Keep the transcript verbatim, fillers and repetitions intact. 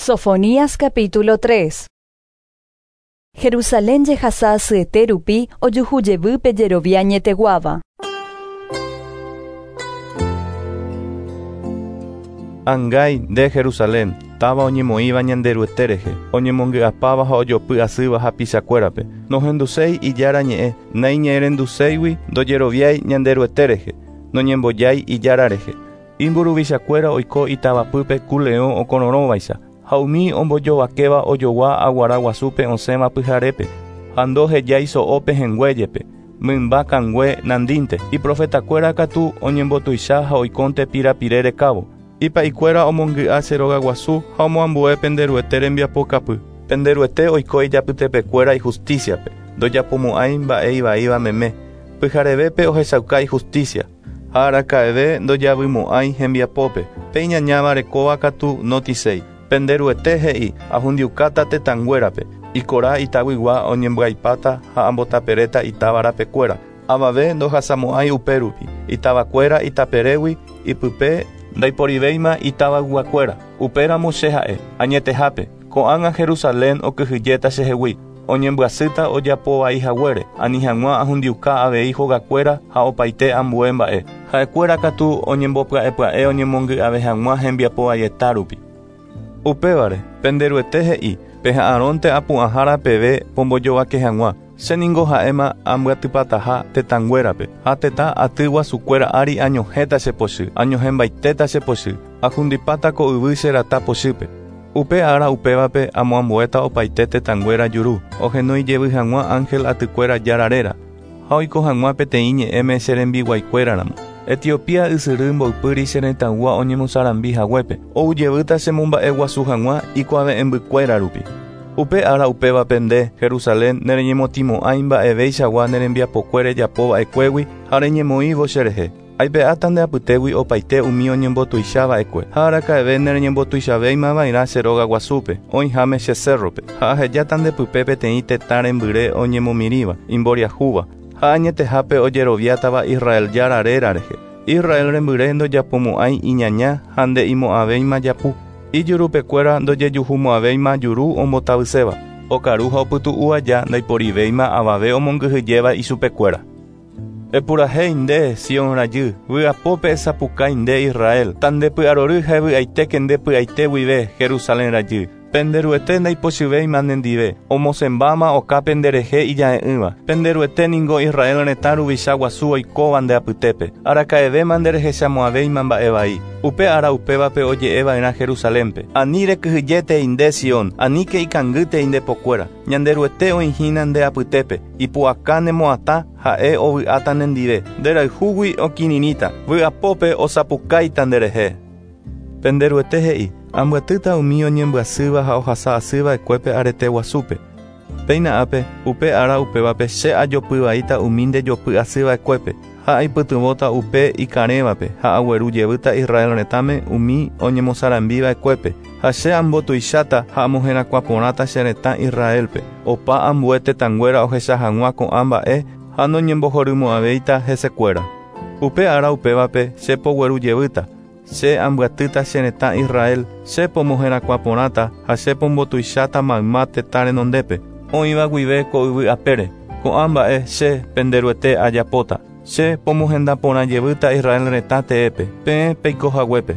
Sofonías capítulo tres. Jerusalén jehasa asyete rupi ojuhu jevýpe jerovia añeteguáva. Angái nde Jerusalén, táva oñemoĩva Ñanderuete rehe, oñemongy'apáva ha ojopy asýva hapichakuérape. Nohenduséi ijára ñe'ẽ, naiñe'ẽrenduséigui ndojeroviái Ñanderuete rehe, noñembojái ijára rehe. Imburuvichakuéra oiko itavapýpe ku leõ okororõvaicha, ha umi ombojovakéva ojogua aguara guasúpe osẽva pyharépe, ha ndohejái so'ópe henguéjepe, mymba kangue nandínte. Iprofetakuéra katu oñembotuicha ha oikónte pirapire rekávo. Ipa'ikuéra omongy'a che róga guasu ha omoambue Penderuete rembiapokapy. Penderuete oiko ijapytepekuéra ijusticiape, ndojapomo'ãi mba'e ivaíva meme. Pyharevépe ohechauka ijusticia, ha araka'eve ndojavymo'ãi hembiapópe. Pe iñañáva rekóva katu notiséi. Penderuete he'i ahundiukáta tetãnguérape, ikora itaguigua oñembyaipáta ha ambotaperéta itavarapekuéra. Avave ndohasamo'ãi upérupi, itavakuéra itaperégui ipype ndaiporivéima itavayguakuéra. Upéramo che ha'e, añetehápe, ko'ág̃a Jerusalén okyhyjéta chehegui, oñembyasýta ojapovai haguére, ani hag̃ua ahundiuka avei hogakuéra ha opaite ambue mba'e. Ha'ekuéra katu oñembopya'epya'e oñemongy'ave hag̃ua hembiapovaieta rupi. Upévare, Penderuete he'i, peha'arõnte apu'ãhára peve pombojovake hag̃ua. Che ningo ha'éma ambyatypataha tetãnguérape, ha tetã aty guasukuéra ári añohẽta che pochy, añohẽmbaitéta che pochy, ahundipáta ko yvy che rata pochýpe. Upe ára upévape amoambuéta opaite tetãnguéra juru, ohenói jevy hag̃ua ángel atykuéra jára réra, ha oiko hag̃ua peteĩ ñe'ẽme che rembiguaikuéraramo. Etiopía ysyry mboypýri che retãygua oñemosarambi haguépe, ou jevýta che momba'eguasu hag̃ua ikuave'ẽmbykuéra rupi. Upe ára upévape nde, Jerusalén, nereñemotĩmo'ãi mba'eveichagua ne rembiapokue rejapova'ekuégui ha reñemoĩvo cherehe. Aipe'áta nde apytégui opaite umi oñembotuichava'ekue, ha araka'eve nereñembotuichavéimava'erã che róga guasúpe, oĩháme che cerrope, ha ahejáta ndepype peteĩ tetã rembyre oñemomirĩva, imboriahúva, ha añetehápe ojeroviátava Israel jára réra rehe. Israel rembyre ndojapomo'ãi iñaña ha nde'imo'ãvéima japu. Ijurupekuéra ndojejuhumo'ãvéima juru ombotavyséva. Okaru ha opytu'u aja ndaiporivéima avave omongyhyjéva ichupekuéra. Epurahéi nde, Sion rajy, vy'apópe esapukái nde Israel, tandepy'arory ha evy'aitéke nde py'aite guive, Jerusalén rajy. Penderuete ndaipochyvéima nendive, omosẽmbáma okápe nderehe ija'e'ỹva. Penderuete ningo Israel retã ruvicha guasu oikóva nde apytépe, araka'evéma nderehechamo'ãvéima mba'e vai. Upe ára upévape oje'eva'erã Jerusalénpe. Ani rekyhyjétei nde Sion, aníke ikangýtei nde pokuéra. Ñanderuete oĩhína nde apytépe, ipu'aka nemo'atã ha'e ovy'áta nendive. Nderayhúgui okirirĩta, vy'apópe osapukáita nderehe. Penderuete he'i, ambyatýta umi oñembyasýva ha ohasa asýva'ekuépe arete guasúpe. Péina ápe, upe ára upévape che ajopyvaíta umi ndejopy asýva'ekuépe, ha aipytyvõta upe ikarẽvape, ha agueru jevýta Israel retãme umi oñemosarambiva'ekuépe, ha che ambotuicháta ha amoherakuãporãta che retã Israelpe, opa ambue tetãnguéra ohecha hag̃ua ko'ã mba'e ha noñembohorymo'ãvéita hesekuéra. Upe ára upévape che pogueru jevýta, che ambyatýta che retã Israel, che pomoherakuãporãta ha che pombotuicháta mayma tetã renondépe, oĩva guive ko yvy apére. Ko'ã mba'e che Penderuete ajapóta. Che pomohendaporã jevýta Israel retã teépe, peẽ peiko haguépe.